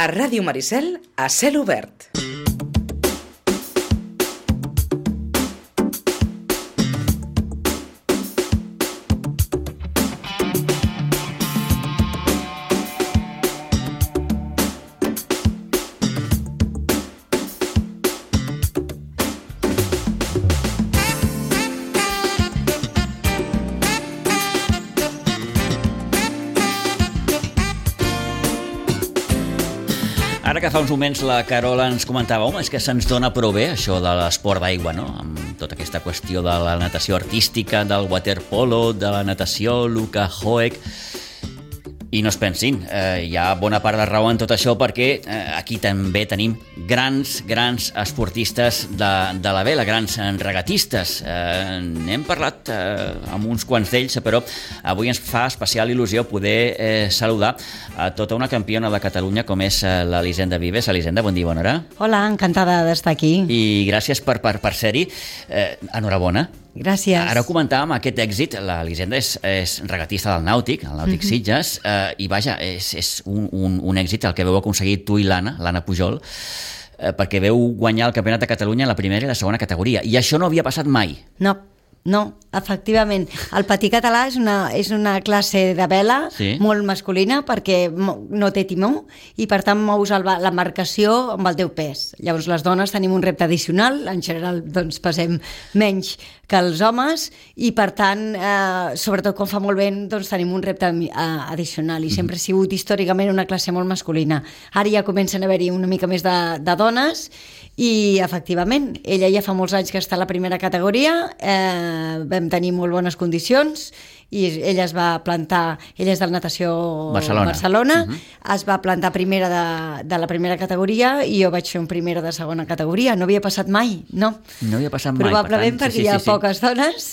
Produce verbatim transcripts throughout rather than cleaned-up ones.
A Ràdio Maricel, a cel obert. Ara que fa uns moments la Carola ens comentava, home, és que se'ns dona prou bé això de l'esport d'aigua, no? Amb tota aquesta qüestió de la natació artística, del waterpolo, de la natació, Luka Hoek. I no es pensin, eh, hi ha bona part de raó en tot això perquè eh, aquí també tenim grans, grans esportistes de, de la vela, grans regatistes. Eh, n'hem parlat eh, amb uns quants d'ells, però avui ens fa especial il·lusió poder eh, saludar a tota una campiona de Catalunya com és eh, l'Elisenda Vives. Elisenda, bon dia, bona hora. Hola, encantada d'estar aquí. I gràcies per, per, per ser-hi. Eh, enhorabona. Gràcies. Ara comentàvem aquest èxit, l'Elisenda és, és regatista del Nàutic, el Nàutic uh-huh. Sitges, eh, i vaja, és, és un, un, un èxit el que veu aconseguir tu i l'Anna, l'Anna Pujol, eh, perquè veu guanyar el Campionat de Catalunya en la primera i la segona categoria, i això no havia passat mai. No. No, efectivament. El patí català és una, és una classe de vela sí. molt masculina perquè no té timó i per tant mous l'embarcació amb el teu pes. Llavors les dones tenim un repte addicional, en general doncs pesem menys que els homes i per tant, eh, sobretot quan fa molt vent, doncs tenim un repte addicional i sempre ha sigut històricament una classe molt masculina. Ara ja comencen a haver-hi una mica més de, de dones i efectivament, ella ja fa molts anys que està a la primera categoria, eh, vam tenir molt bones condicions i ella es va plantar, ella és de la natació Barcelona, Barcelona uh-huh. es va plantar primera de, de la primera categoria i jo vaig fer un primera de segona categoria, no havia passat mai, no? No havia passat mai, probablement per tant, perquè sí, sí, hi ha sí. poques dones,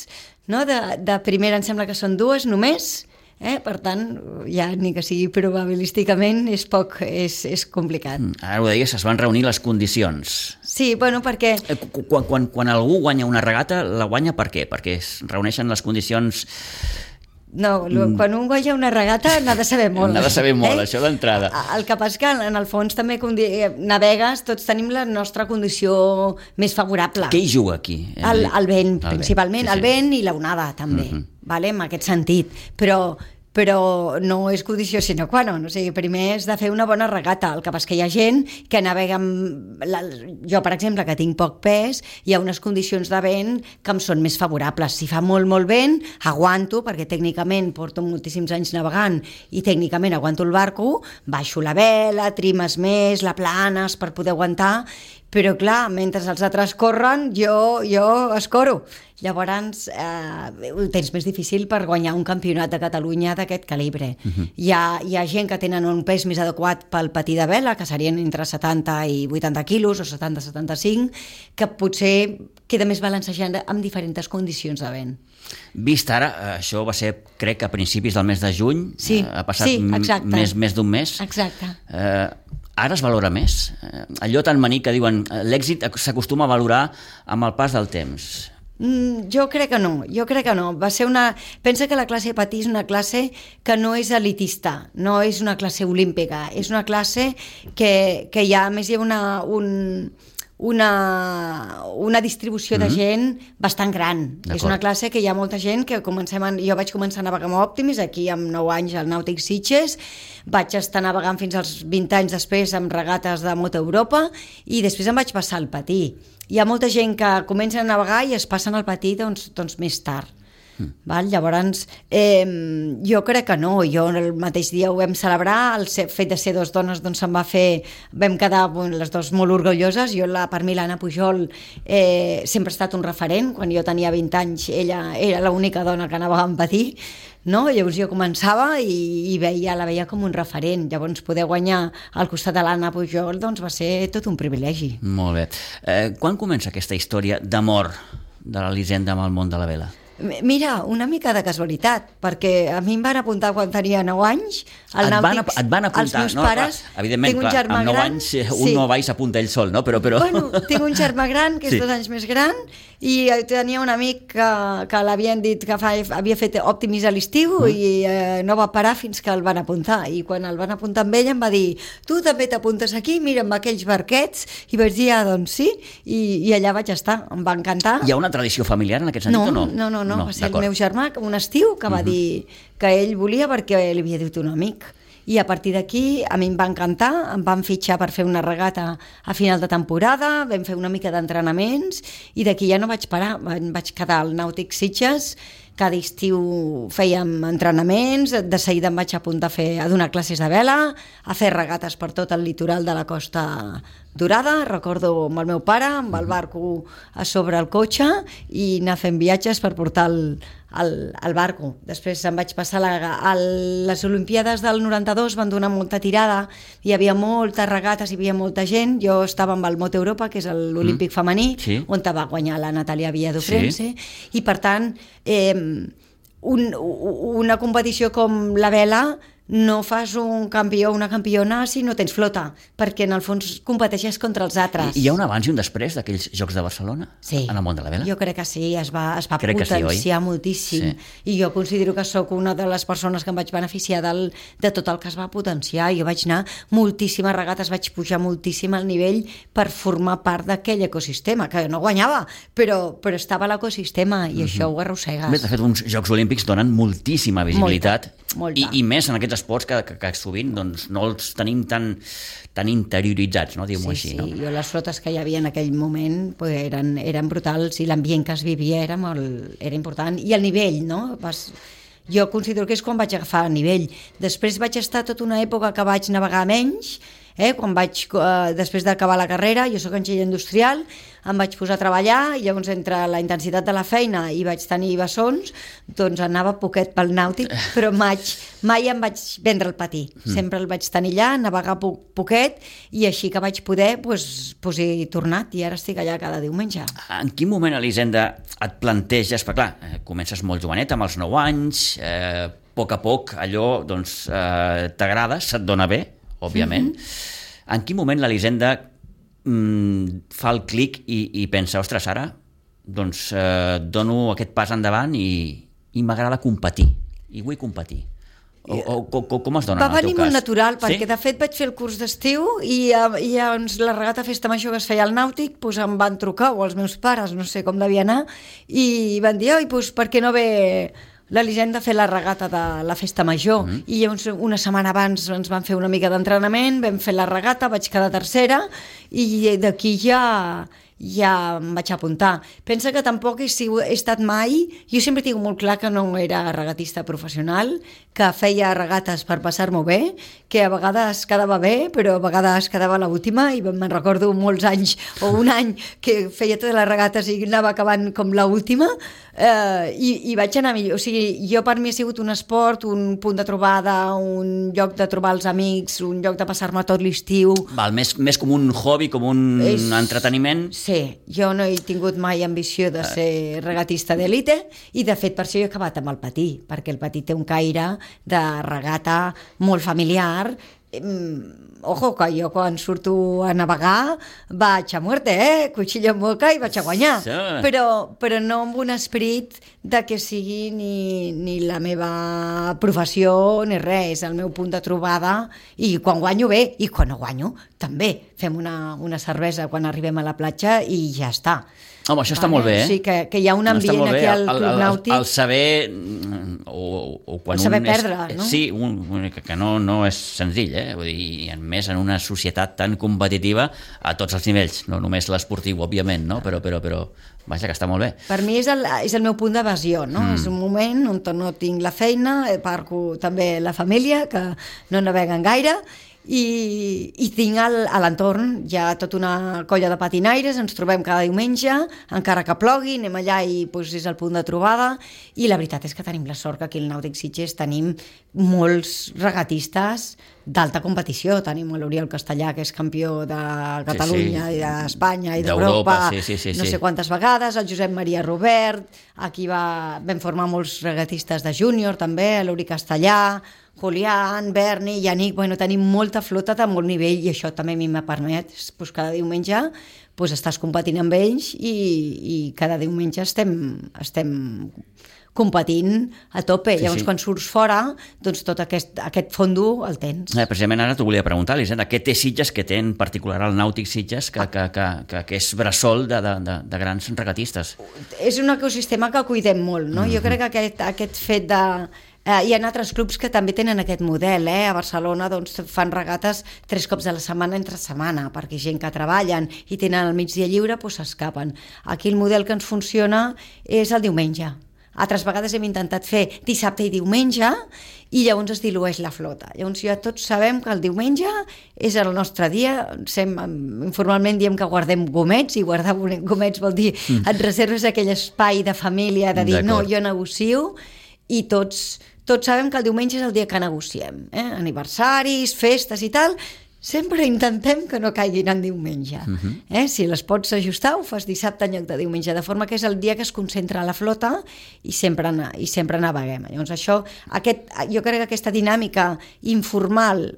no? de, de primera em sembla que són dues només. Eh? Per tant, ja ni que sigui probabilísticament és poc, és, és complicat. Ara ho deies, es van reunir les condicions. Sí, bueno, perquè... Quan, quan, quan algú guanya una regata, la guanya per què? Perquè es reuneixen les condicions... No, quan un guanya una regata n'ha de saber molt. N'ha de saber molt, eh? Això d'entrada. El que passa que en el fons també navegues, tots tenim la nostra condició més favorable. Què hi juga aquí? El, el vent, el principalment, vent. Sí, sí. el vent i l'onada també, uh-huh. vale? En aquest sentit. Però... però no és condició sine qua non, o sigui, primer és de fer una bona regata, el que passa que hi ha gent que navega amb... La... Jo, per exemple, que tinc poc pes, hi ha unes condicions de vent que em són més favorables. Si fa molt, molt vent, aguanto, perquè tècnicament porto moltíssims anys navegant i tècnicament aguanto el barco, baixo la vela, trimes més, la planes per poder aguantar, però clar, mentre els altres corren, jo, jo escoro. Llavors, eh, ho tens més difícil per guanyar un campionat de Catalunya d'aquest calibre. Uh-huh. Hi, ha, hi ha gent que tenen un pes més adequat pel patí de vela, que serien entre setanta i vuitanta quilos, o setanta a setanta-cinc, que potser queda més balancejant amb diferents condicions de vent. Vist ara, això va ser, crec, a principis del mes de juny, sí, ha passat sí, més, més d'un mes. Exacte. Eh, ara es valora més. Eh, allò tan maní que diuen l'èxit s'acostuma a valorar amb el pas del temps. Mm, jo crec que no, jo crec que no. Va ser una... Pensa que la classe de patí és una classe que no és elitista, no és una classe olímpica, és una classe que, que hi ha, a més hi ha una... Un... Una, una distribució de gent bastant gran. És una classe que hi ha molta gent que comencem a, jo vaig començar a navegar amb Optimis aquí amb nou anys al Nàutic Sitges, vaig estar navegant fins als vint anys després amb regates de Moto Europa i després em vaig passar al patí. Hi ha molta gent que comença a navegar i es passen al patí doncs, doncs més tard. Mm. Val? Llavors, eh, jo crec que no, jo el mateix dia ho vam celebrar, el fet de ser dues dones doncs se'n va fer, vam quedar bueno, les dues molt orgulloses, jo la, per mi l'Anna Pujol eh, sempre ha estat un referent, quan jo tenia vint anys ella era l'única dona que anava en patí, no? Llavors jo començava i, i veia, la veia com un referent, llavors poder guanyar al costat de l'Anna Pujol doncs va ser tot un privilegi. Molt bé. Eh, quan comença aquesta història d'amor de l'Elisenda amb el món de la vela? Mira, una mica de casualitat, perquè a mi em van apuntar quan tenia nou anys al et van, nàutics. et van apuntar, els meus no? pares. Clar, evidentment, tinc un clar, germà amb nou gran, anys un sí. no va i s'apunta ell sol, no? Però, però... Bueno, tinc un germà gran que és Sí. dos anys més gran i tenia un amic que, que l'havien dit que fa, havia fet Optimis a l'estiu mm. i eh, no va parar fins que el van apuntar, i quan el van apuntar amb ell em va dir, tu també t'apuntes aquí, mira amb aquells barquets, i vaig dir, ah, doncs sí, i, i allà vaig estar, em va encantar. Hi ha una tradició familiar en aquest sentit no, o no? No, no, no, no va ser el meu germà un estiu que va uh -huh. dir que ell volia perquè li havia dit un amic, i a partir d'aquí a mi em va encantar, em van fitxar per fer una regata a final de temporada, vam fer una mica d'entrenaments i d'aquí ja no vaig parar, em vaig quedar al Nàutic Sitges, cada estiu fèiem entrenaments, de seguida em vaig apuntar a, fer, a donar classes de vela, a fer regates per tot el litoral de la Costa Dorada. Recordo amb el meu pare, amb el barco a sobre el cotxe i anar fent viatges per portar el, el, el barco. Després em vaig passar la, a les Olimpíades del noranta-dos, van donar molta tirada, hi havia moltes regates, hi havia molta gent, jo estava amb el Moto Europa, que és l'Olímpic mm. femení, sí. on va guanyar la Natàlia Villadofrense, sí. i per tant eh, un, una competició com la vela no fas un campió o una campiona si no tens flota, perquè en el fons competeixes contra els altres. I hi ha un abans i un després d'aquells Jocs de Barcelona? Sí. En el món de la vela? Jo crec que sí, es va, es va crec potenciar sí, moltíssim. Sí. I jo considero que sóc una de les persones que em vaig beneficiar del, de tot el que es va potenciar. Jo vaig anar moltíssimes regates, vaig pujar moltíssim al nivell per formar part d'aquell ecosistema, que no guanyava, però, però estava a l'ecosistema i mm-hmm. això ho arrossegues. Bé, de fet, uns Jocs Olímpics donen moltíssima visibilitat. Molta, molta. I, i més en aquests esports que, que, que sovint doncs, no els tenim tan, tan interioritzats, no? Diguem-ho sí, així. Sí, no? jo les flotes que hi havia en aquell moment pues, eren, eren brutals i l'ambient que es vivia era, molt, era important. I el nivell, no? Vas, jo considero que és quan vaig agafar el nivell. Després vaig estar tota una època que vaig navegar menys, eh? Quan vaig, eh, després d'acabar la carrera, jo soc enginyer industrial, em vaig posar a treballar i llavors entre la intensitat de la feina i vaig tenir bessons, doncs anava poquet pel nàutic, però mai, mai em vaig vendre el patí, mm. sempre el vaig tenir allà, navegar po poquet i així que vaig poder, doncs, pues he tornat i ara estic allà cada diumenge. En quin moment, Elisenda, et planteges, perquè clar, comences molt jovenet, amb els nou anys, eh, a poc a poc allò doncs, eh, t'agrada, se't dona bé, òbviament. Mm-hmm. En quin moment l'Elisenda mm, fa el clic i, i pensa, ostres, ara doncs eh, dono aquest pas endavant i, i m'agrada competir, i vull competir. O, o, o com es dona va en el teu cas? Va venir molt natural, perquè sí? de fet vaig fer el curs d'estiu i, i doncs, la regata Festa Major que es feia al Nàutic, doncs em van trucar, o els meus pares, no sé com devia anar, i van dir, oi, doncs per què no ve l'Elisenda a fer la regata de la Festa Major, mm. i llavors una setmana abans ens van fer una mica d'entrenament, vam fer la regata, vaig quedar tercera i d'aquí ja ja em vaig apuntar. Pensa que tampoc he, sigut, he estat mai, jo sempre tinc molt clar que no era regatista professional, que feia regates per passar-m'ho bé, que a vegades quedava bé, però a vegades quedava l'última, i me'n recordo molts anys, o un any, que feia totes les regates i anava acabant com l'última, eh, i, i vaig anar millor. O sigui, jo per mi ha sigut un esport, un punt de trobada, un lloc de trobar els amics, un lloc de passar-me tot l'estiu. Val, més, més com un hobby, com un És... entreteniment. Sí, jo no he tingut mai ambició de ser regatista d'élite i de fet per això he acabat amb el patí, perquè el patí té un caire de regata molt familiar. Ojo, que jo quan surto a navegar vaig a muerte, eh? Cuchillo en boca i vaig a guanyar. Sí. Però, però no amb un esperit de que sigui ni, ni la meva professió ni res, el meu punt de trobada, i quan guanyo bé, i quan no guanyo també. Fem una, una cervesa quan arribem a la platja i ja està. Home, això està vale? molt bé, eh? Sí, que, que hi ha un ambient no, aquí al Club Nàutic. El, el saber... O, o quan el saber un perdre, és, no? Sí, un, que, que no, no és senzill, eh? Vull dir, en més en una societat tan competitiva a tots els nivells, no només l'esportiu, òbviament, no? Però, però, però, vaja, que està molt bé. Per mi és el, és el meu punt d'evasió, no? Mm. És un moment on no tinc la feina, parco també la família, que no naveguen gaire, i, i tinc al, a l'entorn ja tota una colla de patinaires, ens trobem cada diumenge, encara que plogui, anem allà i doncs, és el punt de trobada, i la veritat és que tenim la sort que aquí al Nàutic Sitges tenim molts regatistes d'alta competició. Tenim l'Oriol Castellà, que és campió de Catalunya sí, sí. i d'Espanya i d'Europa, sí, sí, sí, no sí. sé quantes vegades, el Josep Maria Robert, aquí va, vam formar molts regatistes de júnior també, l'Uri Castellà, Julián, Berni, Yannick, bueno, tenim molta flota de molt nivell i això també a mi me permet pues, cada diumenge pues, estàs competint amb ells i, i cada diumenge estem, estem competint a tope. Sí, Llavors, sí. quan surts fora, doncs tot aquest, aquest fondo el tens. Eh, precisament ara t'ho volia preguntar, Elisenda, què té Sitges que té en particular el Nàutic Sitges que, que, que, que, que és bressol de, de, de, de grans regatistes? És un ecosistema que cuidem molt, no? Mm-hmm. Jo crec que aquest, aquest fet de... Eh, hi ha altres clubs que també tenen aquest model, eh? A Barcelona doncs, fan regates tres cops a la setmana entre setmana, perquè gent que treballen i tenen el migdia lliure doncs s'escapen. Aquí el model que ens funciona és el diumenge. Altres vegades hem intentat fer dissabte i diumenge i llavors es dilueix la flota. Llavors ja tots sabem que el diumenge és el nostre dia. Sem, informalment diem que guardem gomets, i guardar gomets vol dir mm. et reserves aquell espai de família de dir no, jo negocio, i tots, tots sabem que el diumenge és el dia que negociem. Eh? Aniversaris, festes i tal, sempre intentem que no caiguin en diumenge. Uh-huh. eh? Si les pots ajustar, ho fas dissabte en lloc de diumenge, de forma que és el dia que es concentra la flota i sempre, i sempre naveguem. Llavors això, aquest, jo crec que aquesta dinàmica informal,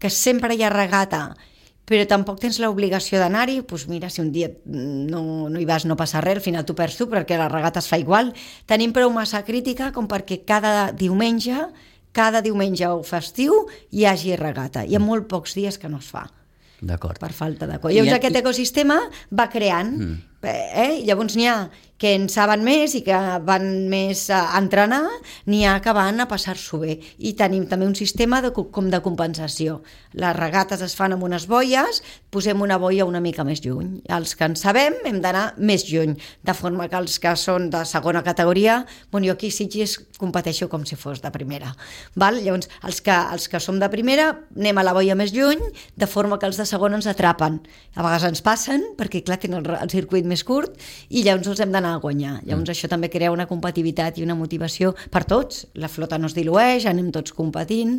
que sempre hi ha regata, però tampoc tens l'obligació d'anar-hi, doncs mira, si un dia no, no hi vas, no passa res, al final tu perds tu, perquè la regata es fa igual. Tenim prou massa crítica com perquè cada diumenge, cada diumenge o festiu hi hagi regata. Hi ha molt pocs dies que no es fa. D'acord. Per falta de coll. Llavors aquest ecosistema va creant, mm. eh? Llavors n'hi ha que en saben més i que van més a entrenar, n'hi ha que van a passar-s'ho bé. I tenim també un sistema de, com de compensació. Les regates es fan amb unes boies, posem una boia una mica més lluny. Els que en sabem hem d'anar més lluny, de forma que els que són de segona categoria, bueno, jo aquí a Sitges competeixo com si fos de primera. Val? Llavors, els que, els que som de primera anem a la boia més lluny, de forma que els de segona ens atrapen. A vegades ens passen, perquè clar, tenen el, el circuit més curt, i llavors els hem d'anar a guanyar. Llavors mm. això també crea una competitivitat i una motivació per tots. La flota no es dilueix, anem tots competint,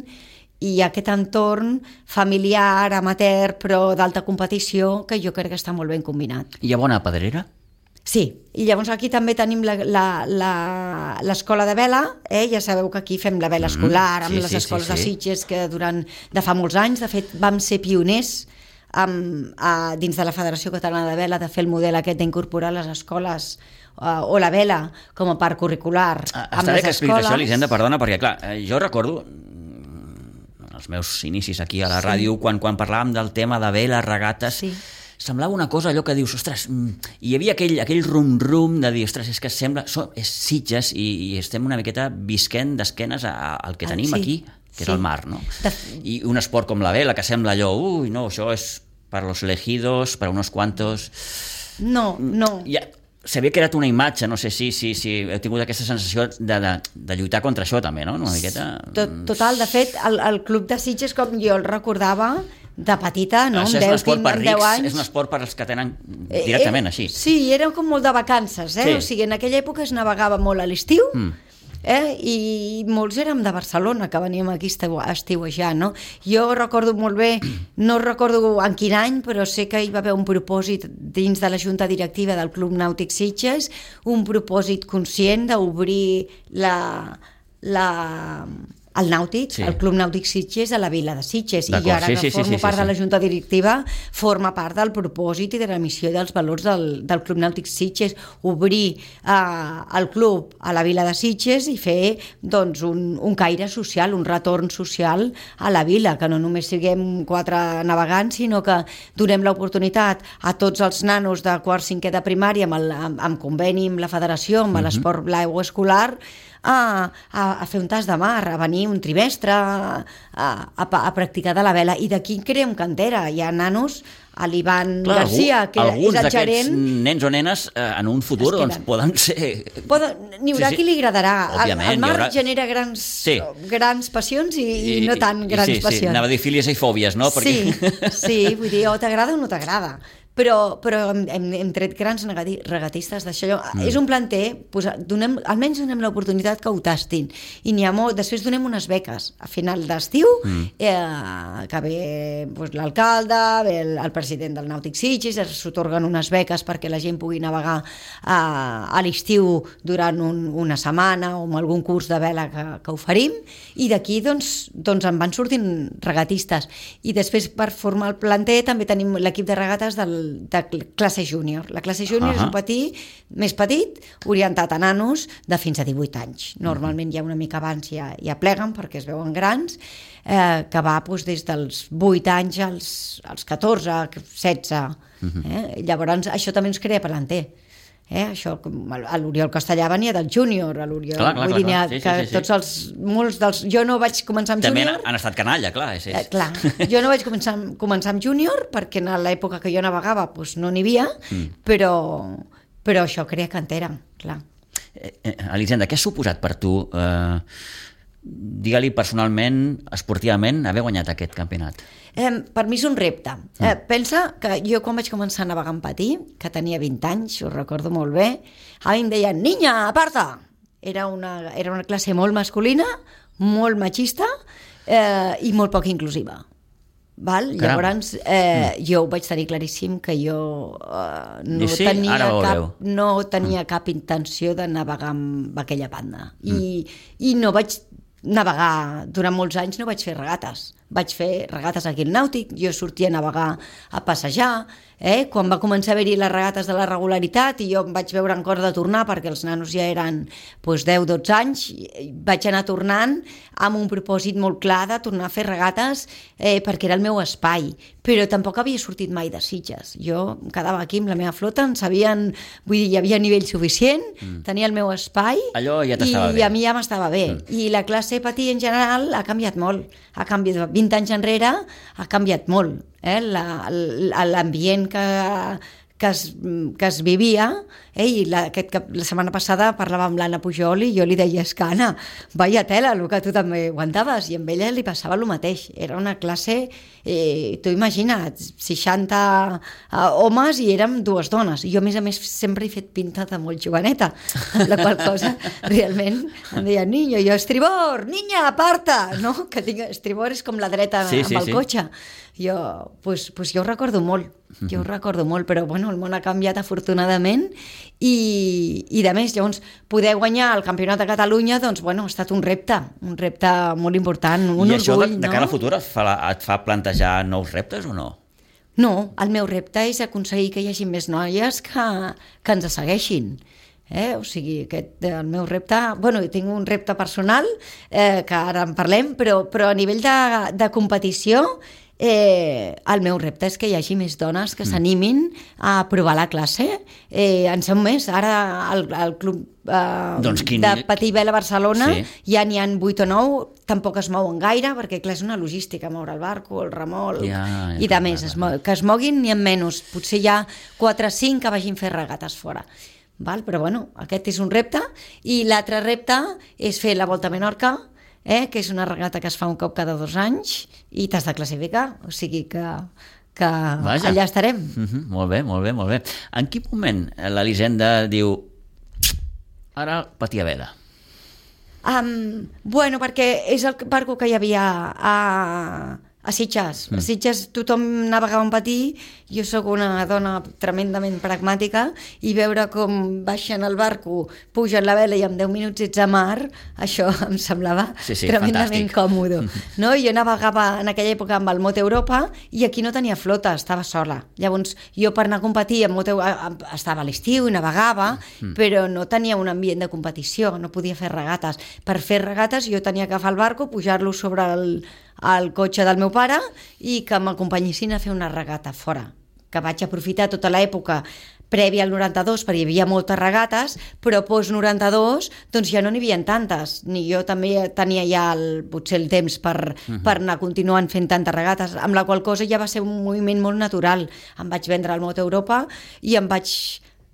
i aquest entorn familiar, amateur, però d'alta competició, que jo crec que està molt ben combinat. Hi ha bona pedrera? Sí, i llavors aquí també tenim l'escola de vela, eh? Ja sabeu que aquí fem la vela escolar, amb sí, les sí, escoles sí, sí. de Sitges, que durant, de fa molts anys, de fet vam ser pioners amb, a, dins de la Federació Catalana de Vela, de fer el model aquest d'incorporar les escoles uh, o la vela com a part curricular ah, amb les escoles. Està bé que expliquis això, Elisenda, perdona, perquè clar, jo recordo els meus inicis aquí a la sí. ràdio, quan, quan parlàvem del tema de vela, regates, sí. semblava una cosa allò que dius, ostres, hi havia aquell, aquell rum-rum de dir, ostres, és que sembla, so, és Sitges i, i estem una miqueta visquent d'esquenes al que tenim ah, sí. aquí, que sí. és el mar, no? De... I un esport com la vela, que sembla allò, ui, no, això és per los elegidos, per unos cuantos... No, no. Ja, s'havia creat una imatge, no sé si, si, si heu tingut aquesta sensació de, de, de lluitar contra això també, no? Una miqueta... Total, de fet, el, el club de Sitges, com jo el recordava, de petita, no? Això és un esport per rics, és un esport per als que tenen directament eh, així. Sí, era com molt de vacances, eh? Sí. O sigui, en aquella època es navegava molt a l'estiu, mm. eh? I molts érem de Barcelona, que veníem aquí a estiuejar, no? Jo recordo molt bé, no recordo en quin any, però sé que hi va haver un propòsit dins de la junta directiva del Club Nàutic Sitges, un propòsit conscient d'obrir la... la el Nàutic, sí. el Club Nàutic Sitges a la vila de Sitges, i jo ara sí, que sí, formo sí, sí, part sí, sí. de la junta directiva forma part del propòsit i de la missió i dels valors del, del Club Nàutic Sitges, obrir uh, el club a la vila de Sitges i fer doncs, un, un caire social, un retorn social a la vila, que no només siguem quatre navegants, sinó que donem l'oportunitat a tots els nanos de quart cinquè de primària amb, el, amb, amb conveni amb la federació, amb uh-huh. l'esport blau escolar, a, a, a fer un tas de mar, a venir un trimestre a, a, a practicar de la vela, i d'aquí creem cantera. Hi ha nanos, a l'Ivan Clar, Garcia, que alguns és el gerent... nens o nenes eh, en un futur doncs, poden ser... Poden, n'hi haurà sí, sí. qui li agradarà. Òbviament, el, el mar haurà... genera grans, sí. grans passions i, i, i no tan grans sí, sí. passions. Anava a dir fílies i fòbies, no? Perquè... Sí, sí, vull dir, o t'agrada o no t'agrada. Però, però hem, hem, hem tret grans regatistes d'això. Mm. És un planter, pues, donem, almenys donem l'oportunitat que ho tastin. I n'hi ha molt, després donem unes beques. A final d'estiu, mm. eh, que ve pues, l'alcalde, ve el, el president del Nàutic Sitges, s'atorguen unes beques perquè la gent pugui navegar a, a l'estiu durant un, una setmana o amb algun curs de vela que, que oferim, i d'aquí doncs, doncs en van sortint regatistes. I després, per formar el planter, també tenim l'equip de regates del de classe júnior. La classe júnior uh -huh. és un petit, més petit, orientat a nanos de fins a divuit anys. Normalment ja una mica abans ja, ja pleguen perquè es veuen grans, eh, que va doncs, des dels vuit anys als, als catorze, setze. Uh -huh. eh? Llavors això també ens crea planter. Eh, això, a l'Oriol Castellà venia del júnior, a l'Oriol, clar, clar, vull dir, clar, clar. Sí, que sí, sí, tots els, molts dels, jo no vaig començar amb també júnior. També han estat canalla, clar. És, és. Eh, clar, jo no vaig començar, començar amb júnior perquè en l'època que jo navegava doncs no n'hi havia, mm. però, però això crea cantera, clar. Eh, eh, Elisenda, què ha suposat per tu, eh, digue-li personalment, esportivament, haver guanyat aquest campionat? Eh, per mi és un repte. Eh, pensa que jo quan vaig començar a navegar en patí, que tenia vint anys, ho recordo molt bé, a mi em deien, niña, aparta! Era una, era una classe molt masculina, molt machista eh, i molt poc inclusiva. Val? Llavors, eh, mm. jo ho vaig tenir claríssim que jo eh, no, sí, tenia cap, no tenia mm. cap intenció de navegar amb aquella banda. Mm. I, I no vaig navegar, durant molts anys no vaig fer regates. Vaig fer regates aquí al Nàutic, jo sortia a navegar a passejar, eh? Quan va començar a haver-hi les regates de la regularitat i jo em vaig veure en cor de tornar perquè els nanos ja eren doncs, deu dotze anys, vaig anar tornant amb un propòsit molt clar de tornar a fer regates eh, perquè era el meu espai, però tampoc havia sortit mai de Sitges. Jo em quedava aquí amb la meva flota, en sabien, vull dir, hi havia nivell suficient, mm. tenia el meu espai. Allò ja t'estava bé. I a mi ja m'estava bé. Mm. I la classe patí en general ha canviat molt, ha canviat vint anys enrere ha canviat molt, eh? L'ambient que, que, es, que es vivia, eh? I la, aquest, la setmana passada parlava amb l'Anna Pujol i jo li deia, és que Anna, vaya tela, el que tu també aguantaves, i amb ella li passava el mateix, era una classe, eh, tu imagina't, seixanta eh, homes i érem dues dones, i jo a més a més sempre he fet pinta de molt joveneta, la qual cosa realment em deia, niño, jo estribor, niña, aparta, no? Que tinc, estribor és com la dreta sí, amb sí, el sí. cotxe. Jo, pues, pues jo ho recordo molt, jo ho recordo molt, però bueno, el món ha canviat afortunadament i, i de més, llavors poder guanyar el Campionat de Catalunya doncs bueno, ha estat un repte, un repte molt important, un I orgull. I això de, de no? cara al futur et fa, et fa plantejar nous reptes o no? No, el meu repte és aconseguir que hi hagi més noies que, que ens segueixin. Eh? O sigui, aquest, el meu repte... Bueno, tinc un repte personal, eh, que ara en parlem, però, però a nivell de, de competició eh, el meu repte és que hi hagi més dones que mm. s'animin a provar la classe. Eh, en som més. Ara el, el club eh, doncs quin... de Patí Vela Barcelona sí. ja n'hi ha vuit o nou, tampoc es mouen gaire, perquè clar, és una logística, moure el barco, el remolc, ja, ja, i de més, es mo- que es moguin n'hi ha menys. Potser hi ha quatre o cinc que vagin fer regates fora. Val? Però bueno, aquest és un repte, i l'altre repte és fer la Volta a Menorca, eh? Que és una regata que es fa un cop cada dos anys i t'has de classificar, o sigui que, que allà estarem. Mm-hmm. Molt bé, molt bé, molt bé. En quin moment l'Elisenda diu ara Patí a Vela? Um, bueno, perquè és el barco que hi havia a... a Sitges. Mm. A Sitges tothom navegava en patí, jo sóc una dona tremendament pragmàtica, i veure com baixen el barco, pugen la vela i en deu minuts ets a mar, això em semblava sí, sí, tremendament fantàstic. Còmode. No? Jo navegava en aquella època amb el Mote Europa i aquí no tenia flota, estava sola. Llavors jo per anar a competir amb Mote estava a l'estiu i navegava, mm. però no tenia un ambient de competició, no podia fer regates. Per fer regates jo tenia que agafar el barco, pujar-lo sobre el al cotxe del meu pare i que m'acompanyessin a fer una regata fora, que vaig aprofitar tota l'època prèvia al noranta-dos, perquè hi havia moltes regates, però post noranta-dos doncs ja no n'hi havia tantes, ni jo també tenia ja el, potser el temps per, uh-huh. per anar continuant fent tantes regates, amb la qual cosa ja va ser un moviment molt natural. Em vaig vendre al Moto Europa i em vaig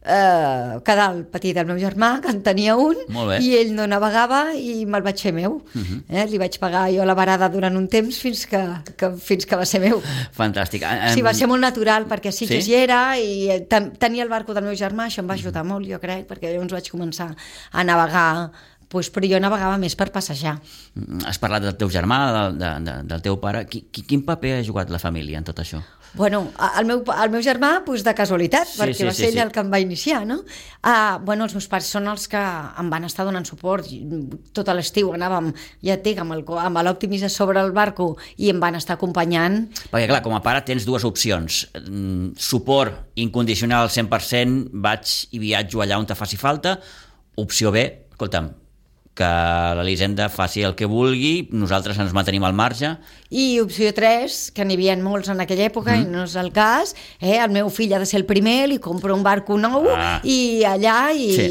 eh, quedar el petit del meu germà, que en tenia un, i ell no navegava i me'l vaig fer meu. Uh-huh. eh? Li vaig pagar jo la varada durant un temps fins que, que, fins que va ser meu. Fantàstic. Um... Sí, va ser molt natural, perquè sí que sí? hi era, i ten, tenia el barco del meu germà, això em va ajudar uh-huh. molt, jo crec, perquè llavors vaig començar a navegar, pues, però jo navegava més per passejar. Has parlat del teu germà, de, de, de, del teu pare. Quin paper ha jugat la família en tot això? Bueno, el meu, el meu germà, pues, de casualitat, sí, perquè sí, va ser sí, ell sí. el que em va iniciar, no? Uh, bueno, els meus pares són els que em van estar donant suport. Tot l'estiu anàvem, ja et dic, amb, el, amb l'Optimis sobre el barco i em van estar acompanyant. Perquè, clar, com a pare tens dues opcions. Suport incondicional al cent per cent, vaig i viatjo allà on te faci falta. Opció B, escolta'm, que l'Elisenda faci el que vulgui, nosaltres ens mantenim al marge. I opció tres, que n'hi havia molts en aquella època, mm. i no és el cas, eh? El meu fill ha de ser el primer, li compro un barco nou, ah. i allà, i, sí.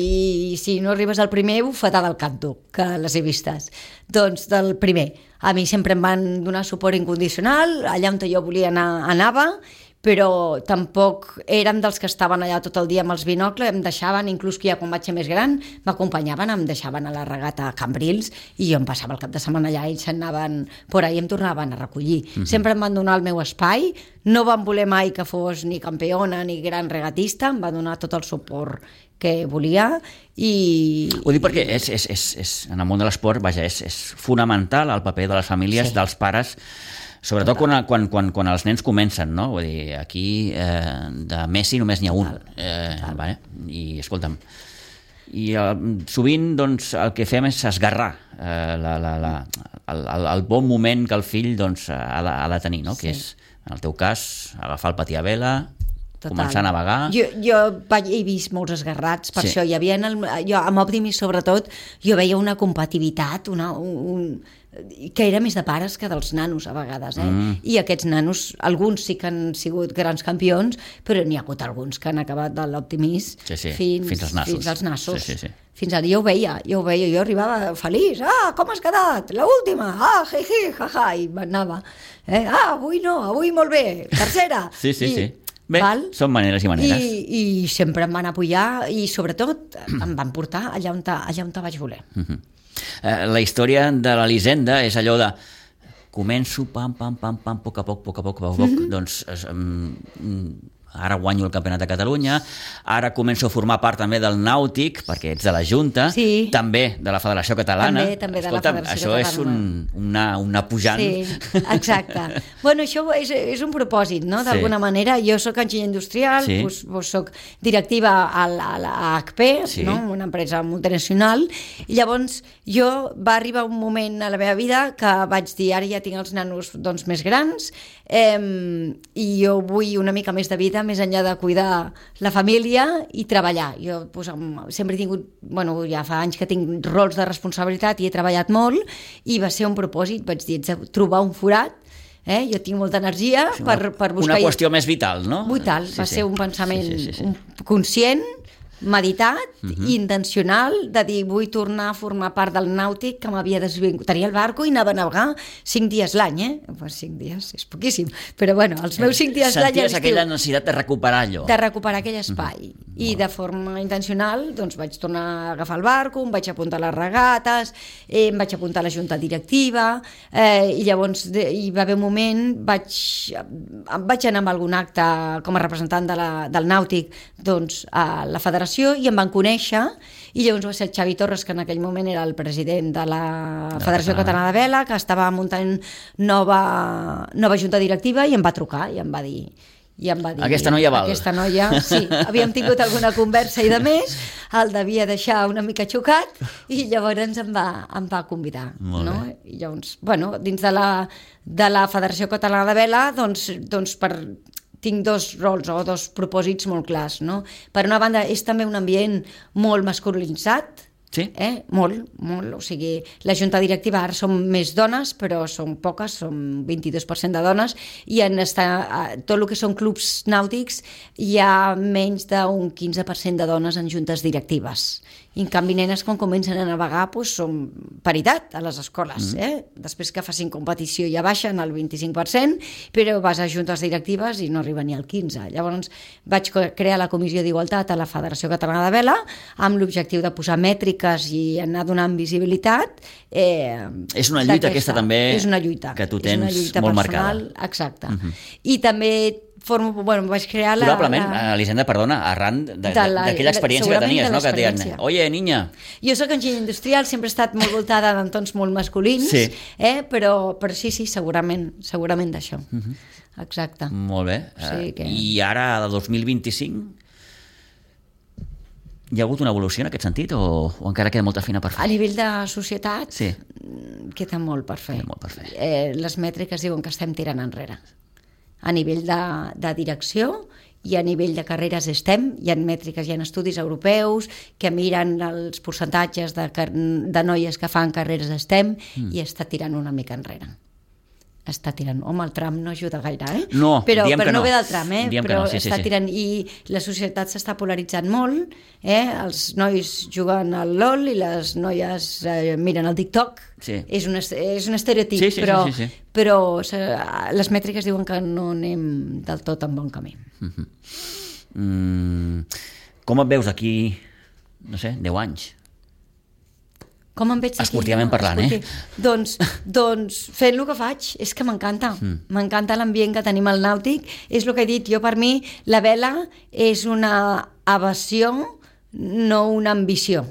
i si no arribes al primer, bufetada del canto, que les he vistes. Doncs del primer. A mi sempre em van donar suport incondicional, allà on jo volia anar, anava, però tampoc érem dels que estaven allà tot el dia amb els binocles, em deixaven, inclús que ja quan vaig ser més gran, m'acompanyaven, em deixaven a la regata a Cambrils i jo em passava el cap de setmana allà, ells s'anaven por ahí, em tornaven a recollir. Mm-hmm. Sempre em van donar el meu espai, no van voler mai que fos ni campiona ni gran regatista, em va donar tot el suport que volia i... Ho dic perquè és, és, és, és, en el món de l'esport, vaja, és, és fonamental el paper de les famílies, sí. dels pares, sobretot quan, quan, quan, quan els nens comencen, no? Vull dir, aquí eh, de Messi només n'hi ha un. Eh, vale? I escolta'm, i eh, sovint doncs, el que fem és esgarrar eh, la, la, la, el, el, el bon moment que el fill doncs, ha, de, ha de tenir, no? Sí. Que és, en el teu cas, agafar el patí a vela, total. Començar a navegar. Jo, jo vaig, he vist molts esgarrats, per sí. això hi havia en el, jo, amb Optimis sobretot, jo veia una compatibilitat, una, un, que era més de pares que dels nanos a vegades, eh? Mm. I aquests nanos, alguns sí que han sigut grans campions, però n'hi ha hagut alguns que han acabat de l'Optimis sí, sí. fins, fins als nassos. Fins als nassos. Sí, sí, sí. Fins al dia ho veia, jo ho veia, jo arribava feliç, ah, com has quedat? L'última, ah, hi, hi, ha, ha, i m'anava, eh? ah, avui no, avui molt bé, tercera. Sí, sí, I, sí. Bé, val? Són maneres i maneres. I, I sempre em van apoyar i sobretot em van portar allà on, ta, allà on ta vaig voler. Uh-huh. eh, la història de l'Elisenda és allò de començo, pam, pam, pam, pam, a poc a poc, a poc a poc, a poc, mm-hmm. doncs um, ara guanyo el Campionat de Catalunya, ara començo a formar part també del Nàutic, perquè ets de la Junta, sí. també de la Federació Catalana. També, també de Escolta, la Federació això Catalana. És un, una, una pujant. Sí, exacte. Bueno, això és, és un propòsit, no? D'alguna sí. manera. Jo soc enginyer industrial, sí. doncs, doncs soc directiva a, a, a H P, sí. no? Una empresa multinacional, i llavors jo va arribar un moment a la meva vida que vaig dir, ara ja tinc els nanos doncs, més grans, eh, i jo vull una mica més de vida, més enllà de cuidar la família i treballar. Jo pues, sempre he tingut, bueno, ja fa anys que tinc rols de responsabilitat i he treballat molt, i va ser un propòsit, vaig dir, trobar un forat. Eh? Jo tinc molta energia sí, per, per buscar... Una qüestió més vital, no? Vital, sí, va sí. ser un pensament sí, sí, sí, sí. Un conscient, meditat, uh-huh. i intencional, de dir, vull tornar a formar part del nàutic que m'havia desvingut. Tenia el barco i anava a navegar cinc dies l'any, eh? Pues cinc dies, és poquíssim. Però bueno, els meus cinc dies l'any... Senties aquella necessitat de recuperar allò. De recuperar aquell espai. Uh-huh. I de forma intencional, doncs vaig tornar a agafar el barco, em vaig apuntar a les regates, eh, em vaig apuntar a la junta directiva, eh, i llavors de, hi va haver un moment, vaig, vaig anar a algun acte com a representant de la, del nàutic, doncs a la federació, i em van conèixer, i llavors va ser el Xavi Torres, que en aquell moment era el president de la Federació Catalana de Vela, que estava muntant nova, nova junta directiva, i em va trucar i em va dir... I em va dir, aquesta noia val. Aquesta noia, sí, havíem tingut alguna conversa i de més, el devia deixar una mica xocat, i llavors em va, em va convidar. No? I llavors, bueno, dins de la, de la Federació Catalana de Vela, doncs, doncs per... tinc dos rols o dos propòsits molt clars, no? Per una banda, és també un ambient molt masculinitzat, Sí? Eh? Molt, molt. O sigui, la junta directiva ara són més dones, però són poques, són vint-i-dos per cent de dones, i en estar, tot el que són clubs nàutics hi ha menys d'un quinze per cent de dones en juntes directives. I en canvi nenes quan comencen a navegar doncs, són paritat a les escoles. Mm. Eh? Després que facin competició ja baixen al vint-i-cinc per cent, però vas a juntes directives i no arriba ni al quinze per cent. Llavors vaig crear la Comissió d'Igualtat a la Federació Catalana de Vela amb l'objectiu de posar mètriques i anar donant visibilitat. Eh, és una lluita aquesta també és una lluita, que tu tens personal, molt marcada. Exacte. Uh-huh. I també formo, bueno, vaig crear la... Probablement, la... Elisenda, perdona, arran d'aquella experiència que tenies, no? Que et deien, oye, niña... Jo soc enginyer industrial, sempre he estat molt voltada d'entorns molt masculins, sí. eh? però, però sí, sí, segurament, segurament d'això. Uh-huh. Exacte. Molt bé. Sí, que... I ara, de dos mil vint-i-cinc, hi ha hagut una evolució en aquest sentit o, o encara queda molta feina per fer? A nivell de societat, sí. queda molt per fer. Queda molt per fer. Eh, les mètriques diuen que estem tirant enrere. A nivell de, de direcció i a nivell de carreres estem, hi ha mètriques, hi ha estudis europeus que miren els percentatges de, de noies que fan carreres estem mm. i està tirant una mica enrere. Està tirant. Home, el tram no ajuda gaire, eh? No, però, diem però que no. no ve del tram, eh? Diem però que no, sí, està sí, sí. tirant. I la societat s'està polaritzant molt, eh? Els nois juguen al LOL i les noies eh, miren el TikTok. Sí. És, un, és un estereotip, sí, sí, però, sí, sí, sí. però les mètriques diuen que no anem del tot en bon camí. Mm-hmm. Mm, com et veus aquí, no sé, deu anys? Com em veig aquí? Esportivament parlant, eh? Doncs, doncs fent el que faig, és que m'encanta. Mm. M'encanta l'ambient que tenim al nàutic. És el que he dit, jo per mi la vela és una evasió, no una ambició.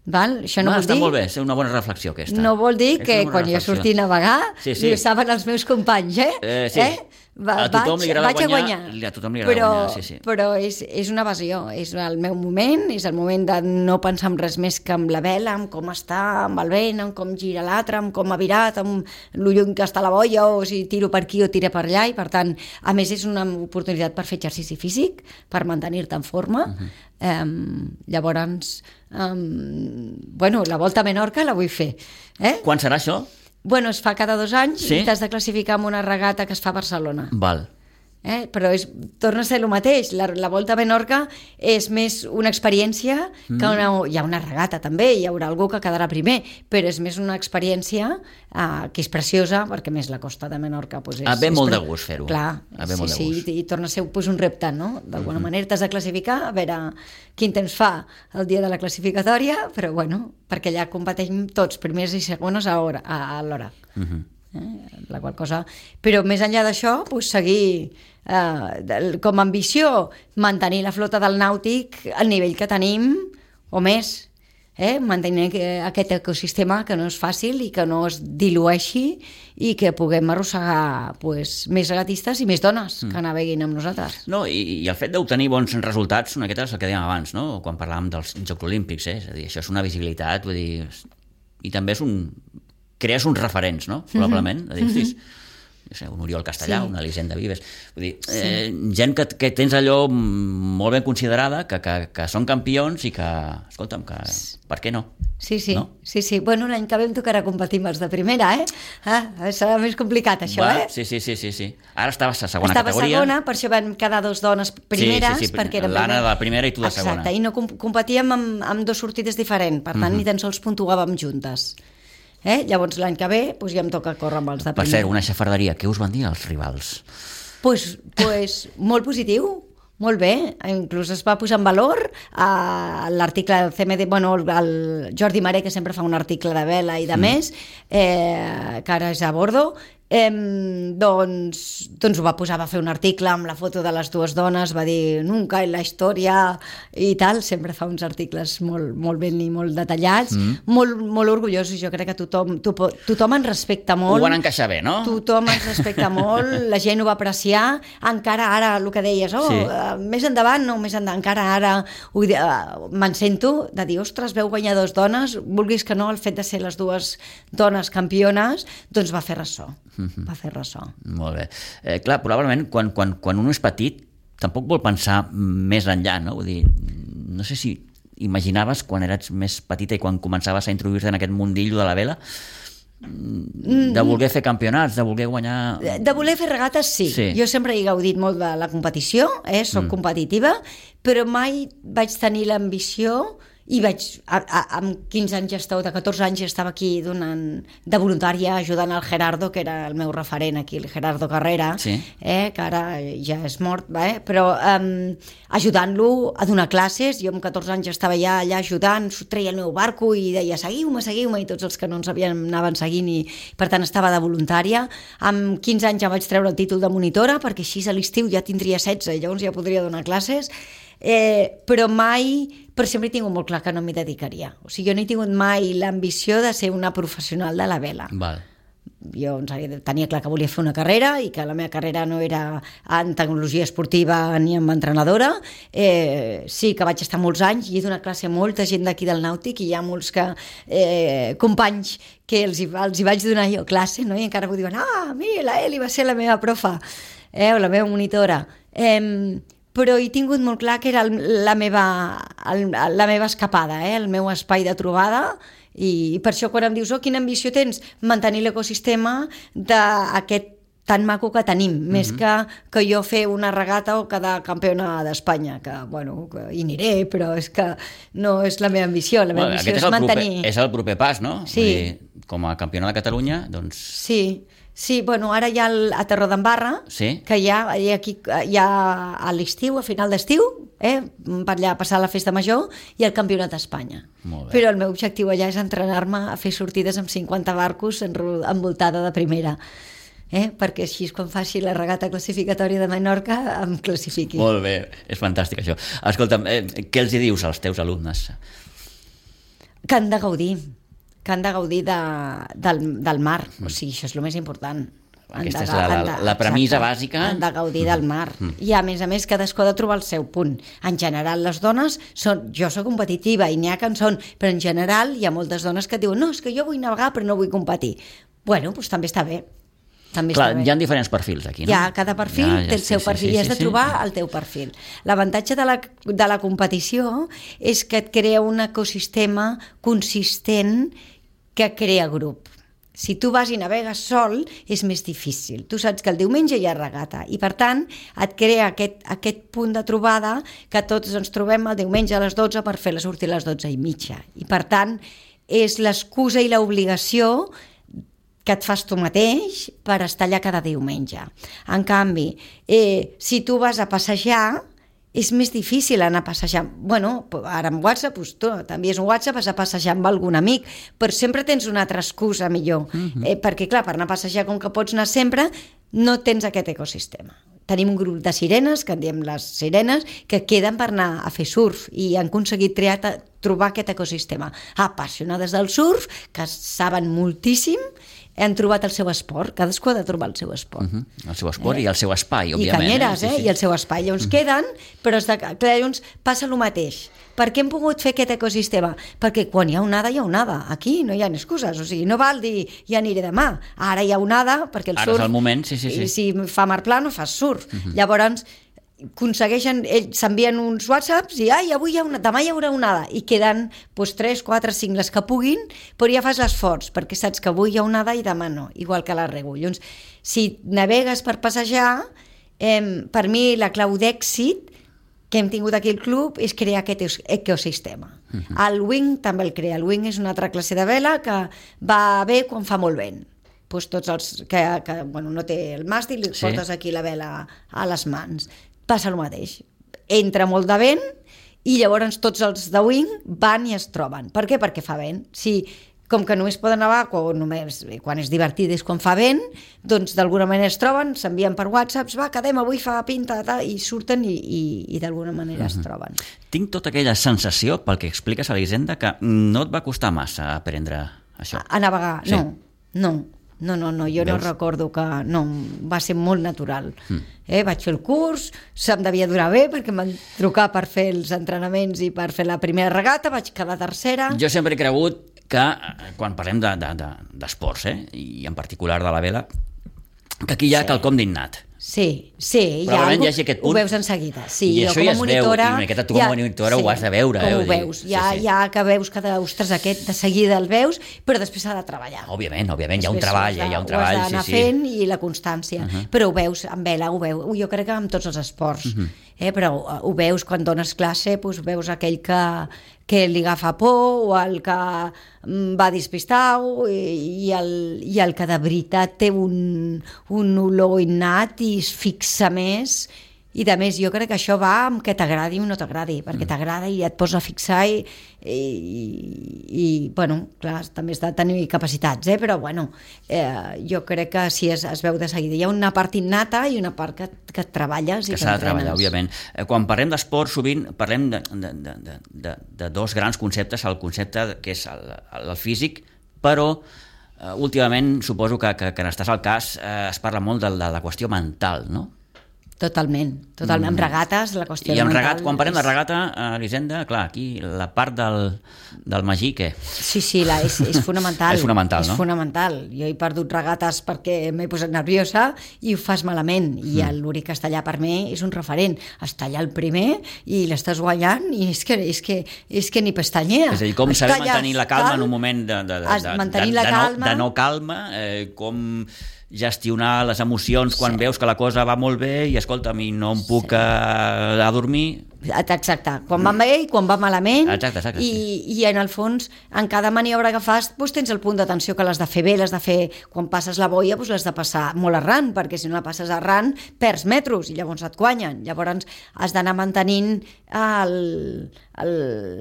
Val? Això no Va, vol està dir... molt bé, és una bona reflexió aquesta. No vol dir és que quan reflexió. jo surti a navegar, sí, sí. ho saben els meus companys, eh? Eh, sí. eh? Va, a tothom vaig, li agrada vaig a guanyar, guanyar. A tothom li agrada però, guanyar, sí, sí. Però és, és una evasió, és el meu moment, és el moment de no pensar en res més que amb la vela, en com està, amb el vent, en com gira l'altre, en com ha virat, amb lo lluny que està la boia, o si tiro per aquí o tiro per allà, i per tant, a més és una oportunitat per fer exercici físic, per mantenir-te en forma. Uh-huh. Um, llavors, um, bueno, la Volta a Menorca la vull fer. Eh? Quan serà això? Bueno, es fa cada dos anys sí? i t'has de classificar en una regata que es fa a Barcelona. Val. Eh? Però és, torna a ser el mateix. La, la Volta a Menorca és més una experiència mm. que una, hi ha una regata també, hi haurà algú que quedarà primer, però és més una experiència uh, que és preciosa, perquè més la costa de Menorca pues, és, ah, ve és molt pre... de gust fer-ho. Clar, ah, ve sí, molt de sí, gust. i, i torna a ser pues, un repte, no? D'alguna mm-hmm. manera t'has de classificar, a veure quin temps fa el dia de la classificatòria, però bueno, perquè allà competeixen tots, primers i segones a l'hora. A, a l'hora. Mm-hmm. Eh, la qual cosa... Però més enllà d'això, pues, seguir eh, com a ambició mantenir la flota del nàutic al nivell que tenim o més, eh? Mantenir aquest ecosistema que no és fàcil i que no es dilueixi i que puguem arrossegar pues, més regatistes i més dones mm. que naveguin amb nosaltres. No, i, i el fet d'obtenir bons resultats, una miqueta és el que dèiem abans, no? Quan parlàvem dels Jocs Olímpics, eh? És a dir, això és una visibilitat, vull dir, i també és un... crees uns referents, no? Probablement. Mm-hmm. A dir, hostis, no sé, un Oriol Castellà, sí. una Elisenda Vives, vull dir, sí. eh, gent que, que tens allò molt ben considerada, que, que, que són campions i que, escolta'm, que, per què no? Sí, sí, no? sí, sí. Bueno, l'any que ve em tocarà competir amb els de primera, eh? Ah, serà més complicat, això, Va, eh? Sí, sí, sí, sí, sí. Ara estaves a segona Estava categoria. Estava segona, per això vam quedar dos dones primeres, sí, sí, sí. perquè érem... L'Anna de la primera i tu de Exacte, segona. i no comp competíem amb, amb dos sortides diferents, per tant, mm-hmm. ni tan sols puntuàvem juntes. Eh? Llavors l'any que ve doncs ja em toca córrer amb els de primer. Per cert, una xafarderia, què us van dir els rivals? Pues, pues, molt positiu, molt bé, inclús es va posar en valor a l'article del C M D, bueno, el Jordi Maré, que sempre fa un article de vela i de mm. més, eh, que ara és a bordo, Eh, doncs, doncs ho va posar, va fer un article amb la foto de les dues dones, va dir nunca en la història i tal, sempre fa uns articles molt, molt ben i molt detallats, mm. molt, molt orgullosos. Jo crec que tothom, to, tothom ens respecta molt. Ho van encaixar bé, no? Tothom ens respecta molt, la gent ho va apreciar, encara ara el que deies, oh, sí. uh, més endavant, no, més endavant, encara ara uh, me'n sento de dir, ostres, veu guanyar dues dones, vulguis que no, el fet de ser les dues dones campiones, doncs va fer ressò. Va fer ressò. Molt bé. Eh, clar, probablement quan, quan, quan un és petit tampoc vol pensar més enllà, no? Vull dir, no sé si imaginaves quan eres més petita i quan començaves a introduir-te en aquest mundillo de la vela? De voler fer campionats, de voler guanyar... De, de voler fer regates, sí. sí. Jo sempre he gaudit molt de la competició, eh? Soc mm. competitiva, però mai vaig tenir l'ambició i vaig, a, a, amb quinze anys estava, de catorze anys estava aquí donant, de voluntària ajudant al Gerardo, que era el meu referent aquí, el Gerardo Carrera, sí. eh, que ara ja és mort, eh? Però um, ajudant-lo a donar classes. Jo amb catorze anys estava ja allà ajudant, treia el meu barco i deia seguiu-me, seguiu-me, i tots els que no ens havien anaven seguint, i per tant estava de voluntària. Amb quinze anys ja vaig treure el títol de monitora, perquè així a l'estiu ja tindria setze i llavors ja podria donar classes. Eh, però mai, però sempre he tingut molt clar que no m'hi dedicaria. O sigui, jo no he tingut mai l'ambició de ser una professional de la vela. Val. Jo tenia clar que volia fer una carrera i que la meva carrera no era en tecnologia esportiva ni en entrenadora. Eh, sí que vaig estar molts anys i he donat classe a molta gent d'aquí del Nàutic, i hi ha molts que, eh, companys que els, els hi vaig donar jo classe, no? I encara m'ho diuen, ah, mira, la Eli va ser la meva profa, eh, o la meva monitora. Eh, però he tingut molt clar que era el, la, meva, el, la meva escapada, eh? El meu espai de trobada, i per això quan em dius, oh, quina ambició tens? Mantenir l'ecosistema d'aquest tan maco que tenim, mm-hmm. més que, que jo fer una regata o quedar campiona d'Espanya, que, bueno, que hi aniré, però és que no és la meva ambició, la meva bueno, ambició és, és mantenir... Proper, és el proper pas, no? Sí. Vull dir, com a campiona de Catalunya, doncs... Sí, sí, bueno, ara hi ha el, a Torredembarra, sí? Que hi ha, hi ha, aquí, hi ha a l'estiu, a final d'estiu, eh, per allà passar la festa major, i el campionat d'Espanya. Però el meu objectiu allà és entrenar-me a fer sortides amb cinquanta barcos envoltada de primera. Eh? Perquè així quan faci la regata classificatòria de Menorca em classifiqui. Molt bé, és fantàstic això. Escolta'm, eh, què els hi dius als teus alumnes? Que han de gaudir, que han de gaudir de, del, del mar, o sigui, això és el més important. Aquesta de, és la, la, de, la premissa exacte, bàsica. Han de gaudir del mar. Mm. I a més a més cadascú ha de trobar el seu punt. En general les dones són, jo soc competitiva i n'hi ha que en són, però en general hi ha moltes dones que diuen no, és que jo vull navegar però no vull competir. Bueno, doncs també està bé. També Clar, està bé. Hi ha diferents perfils aquí, no? Ja, cada perfil ja, ja, té el seu sí, perfil sí, sí, i has de trobar sí. el teu perfil. L'avantatge de la, de la competició és que et crea un ecosistema consistent que crea grup. Si tu vas i navegues sol, és més difícil. Tu saps que el diumenge hi ha regata i, per tant, et crea aquest, aquest punt de trobada que tots ens trobem el diumenge a les dotze per fer la sortida a les dotze i mitja. I, per tant, és l'excusa i l'obligació que et fas tu mateix per estar allà cada diumenge. En canvi, eh, si tu vas a passejar, és més difícil anar a passejar. Bueno, ara amb WhatsApp, doncs tu t'envies un WhatsApp, vas a passejar amb algun amic, però sempre tens una altra excusa millor. Uh-huh. Eh, perquè, clar, per anar a passejar, com que pots anar sempre, no tens aquest ecosistema. Tenim un grup de sirenes, que en diem les sirenes, que queden per anar a fer surf i han aconseguit triar, trobar aquest ecosistema. Apassionades del surf, que saben moltíssim, han trobat el seu esport, cadascú ha de trobar el seu esport. Uh-huh. El seu esport eh? I el seu espai, òbviament. I canyeres, eh? eh? Sí, sí. I el seu espai. Llavors uh-huh. queden, però de, clar, llavors passa el mateix. Per què hem pogut fer aquest ecosistema? Perquè quan hi ha onada, hi ha onada. Aquí no hi ha excuses, o sigui, no val dir ja aniré demà. Ara hi ha onada, perquè el Ara surf... Ara és el moment, sí, sí, sí. I si fa mar pla no fas surf. Uh-huh. Llavors aconsegueixen, ells s'envien uns whatsapps i ai, avui hi ha una, demà hi haurà onada, i queden doncs, tres, quatre, cinc les que puguin, però ja fas l'esforç perquè saps que avui hi ha onada i demà no, igual que la rego. Llavors, si navegues per passejar, eh, per mi la clau d'èxit que hem tingut aquí al club és crear aquest ecosistema. Uh-huh. El wing també el crea. El wing és una altra classe de vela que va bé quan fa molt vent. Pues tots els que, que bueno, no té el màstil, li sí. portes aquí la vela a les mans. Passa el mateix. Entra molt de vent i llavors tots els de wing van i es troben. Per què? Perquè fa vent. Si, com que només poden nevar quan, només, quan és divertit és quan fa vent, doncs d'alguna manera es troben, s'envien per whatsapps, va, quedem, avui fa pinta, tal, i surten i, i, i d'alguna manera uh-huh. es troben. Tinc tota aquella sensació, pel que expliques, Elisenda, que no et va costar massa aprendre això. A, a navegar, sí. no, no. No, no, no, jo Veus? no recordo que... No, va ser molt natural. Mm. Eh, vaig fer el curs, se'm devia durar bé perquè em van trucar per fer els entrenaments i per fer la primera regata, vaig quedar tercera. Jo sempre he cregut que, quan parlem de, de, de, d'esports, eh, i en particular de la vela, que aquí hi ha sí. quelcom d'innat. Sí, sí, Probablement algú, hi hagi aquest punt. ho veus en seguida. Sí, I jo això com ja a es monitora, veu, i una miqueta tu com a monitora ho has de veure. Com eh, ho vull dir, veus, sí, ja, sí. ja que veus que, ostres, aquest de seguida el veus, però després s'ha de treballar. Òbviament, òbviament, hi ha un Després treball, ho has de- hi ha un Ho treball, has d'anar sí, sí. fent i la constància. Uh -huh. Però ho veus, amb vela, ho veus. Jo crec que amb tots els esports. Uh -huh. eh? Però ho, ho veus quan dones classe, doncs veus aquell que, que li agafa por o el que mm, va despistat i, i, el, i el que de veritat té un, un olor innat i es fixa més. I de més, jo crec que això va amb que t'agradi o no t'agradi, perquè mm. t'agrada i et posa a fixar i, i, i bueno, clar, també has de tenir capacitats, eh? Però bueno, eh, jo crec que sí es, es veu de seguida. Hi ha una part innata i una part que, que et treballes i que que s'ha de entrenes. treballar, òbviament. Eh, Quan parlem d'esport, sovint parlem de, de, de, de, de, de dos grans conceptes, el concepte que és el, el físic, però eh, últimament suposo que, que, que en estàs al cas eh, es parla molt de, de la qüestió mental, no? Totalment, totalment. Mm. Amb regates, la qüestió I amb mental... regat, quan parlem de és... regata, eh, Elisenda, clar, aquí la part del, del magí, què? Sí, sí, la, és, és fonamental. És fonamental, és no? És fonamental. Jo he perdut regates perquè m'he posat nerviosa i ho fas malament. I mm. l'Uri Castellà per mi és un referent. Està allà el primer i l'estàs guanyant i és que, és que, és que ni pestanyea. És a dir, com Està saber allà, mantenir la calma tal, en un moment de, de, de, de, mantenir de, la de, calma. no, de no calma, eh, com gestionar les emocions quan sí. veus que la cosa va molt bé i escolta'm, i no em puc sí. a, a dormir. Exacte, quan va bé i quan va malament. Exacte, exacte, i, sí. i en el fons, en cada maniobra que fas, doncs tens el punt d'atenció que l'has de fer bé, l'has de fer, quan passes la boia, doncs l'has de passar molt arran, perquè si no la passes arran, perds metros i llavors et guanyen. Llavors has d'anar mantenint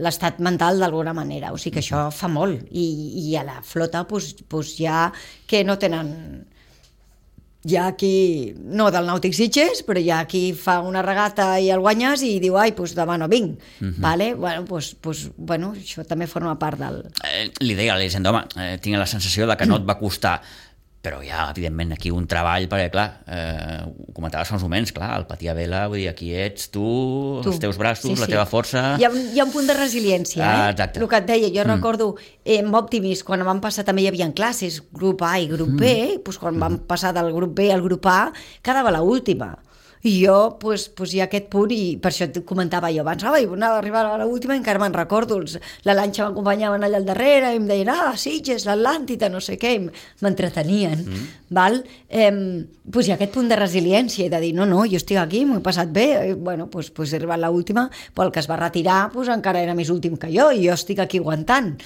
l'estat mental d'alguna manera, o sigui que això fa molt. I, i a la flota doncs, doncs ja que no tenen... Hi ha qui, no del Nàutic Sitges, però hi ha qui fa una regata i el guanyes i diu, ai, doncs demà no vinc. Uh-huh. Vale? Bueno, doncs, doncs, bueno, això també forma part del... Eh, li deia a l'Elisenda, home, eh, tinc la sensació de que no et va costar, però hi ha, evidentment, aquí un treball, perquè, clar, eh, ho comentaves fa uns moments, clar, el patir a vela, vull dir, aquí ets tu, tu. els teus braços, sí, sí. la teva força... Hi ha, hi ha un punt de resiliència, ah, eh? Exacte. El que et deia, jo mm. recordo, eh, amb Optimis, quan vam passar també hi havia classes, grup A i grup B, mm. doncs quan mm. vam passar del grup B al grup A, quedava l'última. I jo, doncs, doncs hi ha aquest punt, i per això et comentava jo abans, ai, anava a arribar a l'última i encara me'n recordo, els, la lanxa m'acompanyaven allà al darrere i em deien, ah, Sitges, l'Atlàntida, no sé què, m'entretenien, mm. val? Eh, doncs hi ha aquest punt de resiliència i de dir, no, no, jo estic aquí, m'ho he passat bé, i, bueno, doncs, doncs he arribat a l'última, però el que es va retirar doncs, encara era més últim que jo, i jo estic aquí aguantant.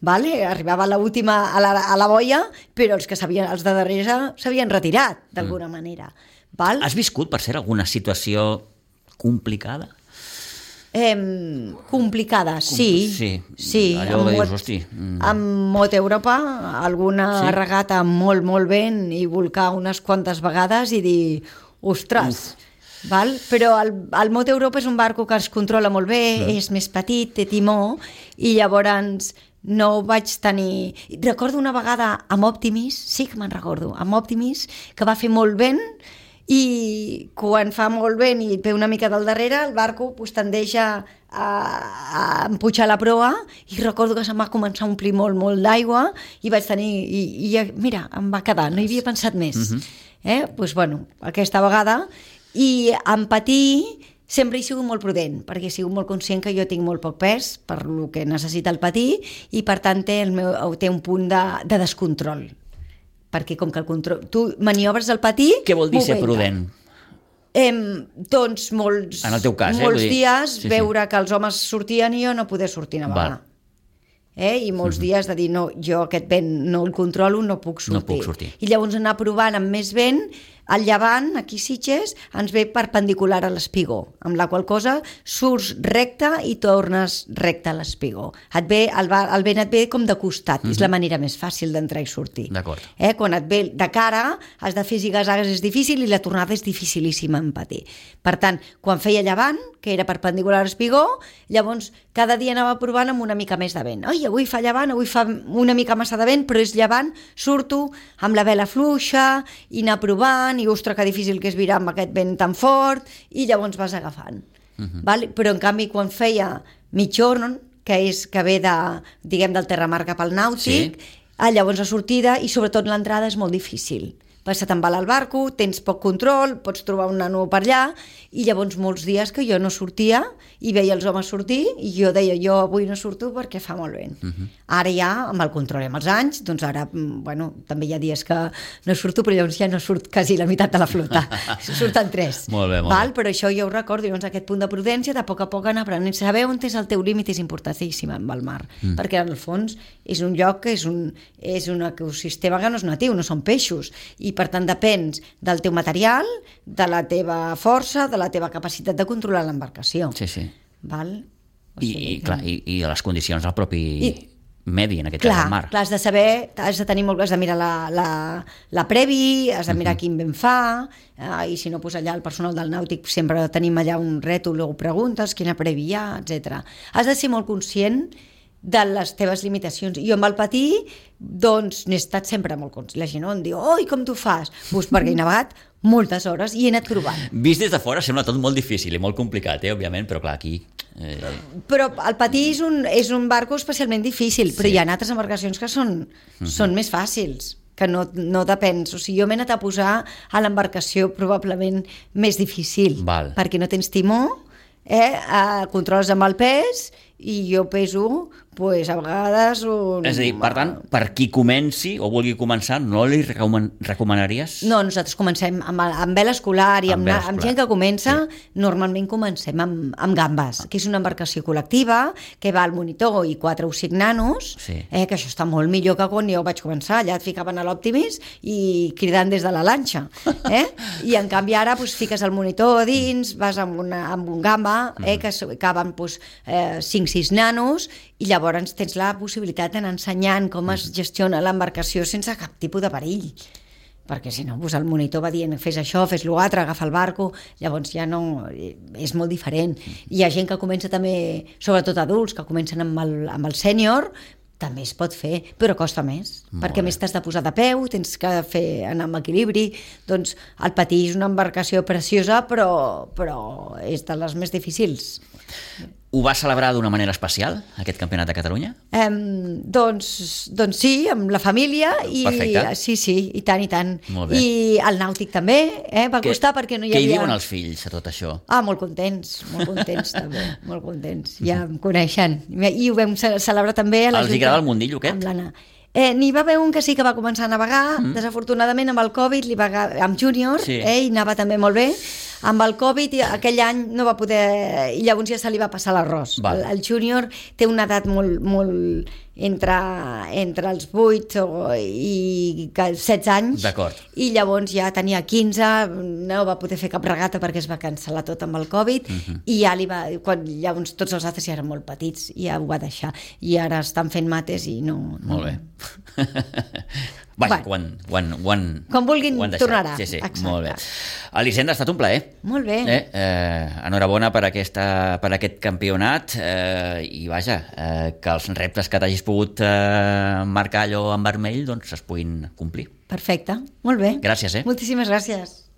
Vale? Arribava a l'última a la, a la boia, però els que sabien, els de darrere s'havien retirat, d'alguna mm. manera. Val? Has viscut, per ser, alguna situació complicada? Eh, complicada, sí. Sí, sí allò que dius, hosti... Mm. Amb Mot Europa, alguna sí? regata molt, molt ben i volcar unes quantes vegades i dir, ostres... Uf. Val? Però el, el Mot Europa és un barco que es controla molt bé, mm. és més petit, té timó, i llavors no vaig tenir... Recordo una vegada amb Optimis, sí que me'n recordo, amb Optimis, que va fer molt vent, i quan fa molt vent i et ve una mica del darrere, el barco pues, tendeix a, a, a empujar la proa, i recordo que se'm va començar a omplir molt, molt d'aigua, i vaig tenir... I, i mira, em va quedar, no hi havia pensat més. Uh-huh. eh? Pues, bueno, aquesta vegada... I en patir sempre he sigut molt prudent, perquè he sigut molt conscient que jo tinc molt poc pes per el que necessita el patir, i per tant té, el meu, té un punt de, de descontrol, perquè com que el control, tu maniobres el patir... Què vol dir ser prudent? Eh, doncs molts, en el teu cas, molts eh? dies sí, veure sí. que els homes sortien i jo no poder sortir navegar. Eh? I molts uh-huh. dies de dir, no, jo aquest vent no el controlo, no puc sortir. No puc sortir. I llavors anar provant amb més vent. Al llevant, aquí Sitges, ens ve perpendicular a l'espigó, amb la qual cosa surts recte i tornes recte a l'espigó. Et ve, el, el vent et ve com de costat, uh-huh. és la manera més fàcil d'entrar i sortir. D'acord. Eh? Quan et ve de cara, has de fer zigazagues, és difícil, i la tornada és dificilíssima en patir. Per tant, quan feia llevant, que era perpendicular a l'espigó, llavors cada dia anava provant amb una mica més de vent. Ai, avui fa llevant, avui fa una mica massa de vent, però és llevant, surto amb la vela fluixa, i anar provant, i ostres, que difícil que és virar amb aquest vent tan fort, i llavors vas agafant. Uh-huh. Val? Però en canvi quan feia mitjorn, que és que ve de, diguem, del terramar cap al nàutic, sí. llavors la sortida i sobretot l'entrada és molt difícil, se te'n va al barco, tens poc control, pots trobar un nano per allà, i llavors molts dies que jo no sortia i veia els homes sortir i jo deia, jo avui no surto perquè fa molt vent. Uh-huh. Ara ja, amb el control amb els anys, doncs ara, bueno, també hi ha dies que no surto, però llavors ja no surt quasi la meitat de la flota. Surten tres. Molt bé, molt val? bé. Però això jo ho recordo, llavors aquest punt de prudència, de poc a poc anar aprenent. Saber on és el teu límit és importantíssim amb el mar, mm. perquè en el fons és un lloc que és un, és un ecosistema que no és natiu, no són peixos, i per tant depens del teu material, de la teva força, de la teva capacitat de controlar l'embarcació. Sí, sí. Val? O I, sigui, i, clar, i, i de les condicions del propi I, medi, en aquest clar, cas del mar. Clar, has de saber, has de tenir molt, has de mirar la, la, la previ, has de mirar uh-huh. quin vent fa, eh, i si no, pues allà el personal del nàutic sempre tenim allà un rètol, ho preguntes, quina previ hi ha, etcètera. Has de ser molt conscient de les teves limitacions. Jo amb el patí, doncs, n'he estat sempre molt conscient. La gent no em diu, oi, com tu fas? Pues perquè he navegat moltes hores i he anat provant. Vist des de fora sembla tot molt difícil i molt complicat, eh, òbviament, però clar, aquí... Eh... Però el patí és un, és un barco especialment difícil, però sí. Hi ha altres embarcacions que són, uh-huh. són més fàcils, que no, no depens. O sigui, jo m'he anat a posar a l'embarcació probablement més difícil, Val. Perquè no tens timó, eh, controles amb el pes, i jo peso, pues, a vegades... Un... És a dir, per tant, per qui comenci o vulgui començar, no li recoman recomanaries? No, nosaltres comencem amb, amb vela escolar i amb, amb, amb gent que comença, sí. Normalment comencem amb, amb gambes, que és una embarcació col·lectiva, que va al monitor i quatre o cinc nanos, sí. eh, que això està molt millor que quan jo vaig començar, allà et ficaven a l'Optimis i cridant des de la lanxa. Eh? I en canvi ara pues, fiques el monitor dins, vas amb, una, amb un gamba, eh, que caben pues, eh, cinc sis nanos, i llavors tens la possibilitat d'anar ensenyant com es gestiona l'embarcació sense cap tipus de perill, perquè si no, doncs el monitor va dient fes això, fes l'altre, agafa el barco, llavors ja no, és molt diferent. Hi ha gent que comença també, sobretot adults, que comencen amb el, amb el sènior, també es pot fer, però costa més, molt perquè bé. Més t'has de posar de peu, tens que fer anar amb equilibri, doncs el patí és una embarcació preciosa, però, però és de les més difícils. Ho va celebrar d'una manera especial, aquest campionat de Catalunya? Um, doncs, doncs sí, amb la família. I, Perfecte. Sí, sí, i tant, i tant. Molt bé. I el nàutic també, eh? Va que, costar perquè no hi havia... Què hi havia... diuen els fills a tot això? Ah, molt contents, molt contents també, molt contents. Ja em coneixen. I ho vam celebrar també a la Els agrada el mundillo aquest? Amb l'Anna. Eh, n'hi va haver un que sí que va començar a navegar, mm. desafortunadament amb el Covid, li va, amb júnior, sí. eh, i anava també molt bé. Amb el Covid aquell any no va poder, i llavors ja se li va passar l'arròs. El, el júnior té una edat molt, molt entre, entre els vuit i setze anys, i llavors ja tenia quinze, no va poder fer cap regata perquè es va cancel·lar tot amb el Covid, uh-huh. i ja li va, quan, llavors tots els altres ja eren molt petits, i ja ho va deixar, i ara estan fent mates i no... no. Molt bé. Vaja, bueno, quan, quan, quan, quan vulguin tornarà. Sí, sí, exacte. Molt bé. Elisenda, ha estat un plaer. Molt bé. Eh, eh, enhorabona per, aquesta, per aquest campionat, eh, i vaja, eh, que els reptes que t'hagis pogut eh, marcar allò en vermell doncs es puguin complir. Perfecte, molt bé. Gràcies, eh? Moltíssimes gràcies.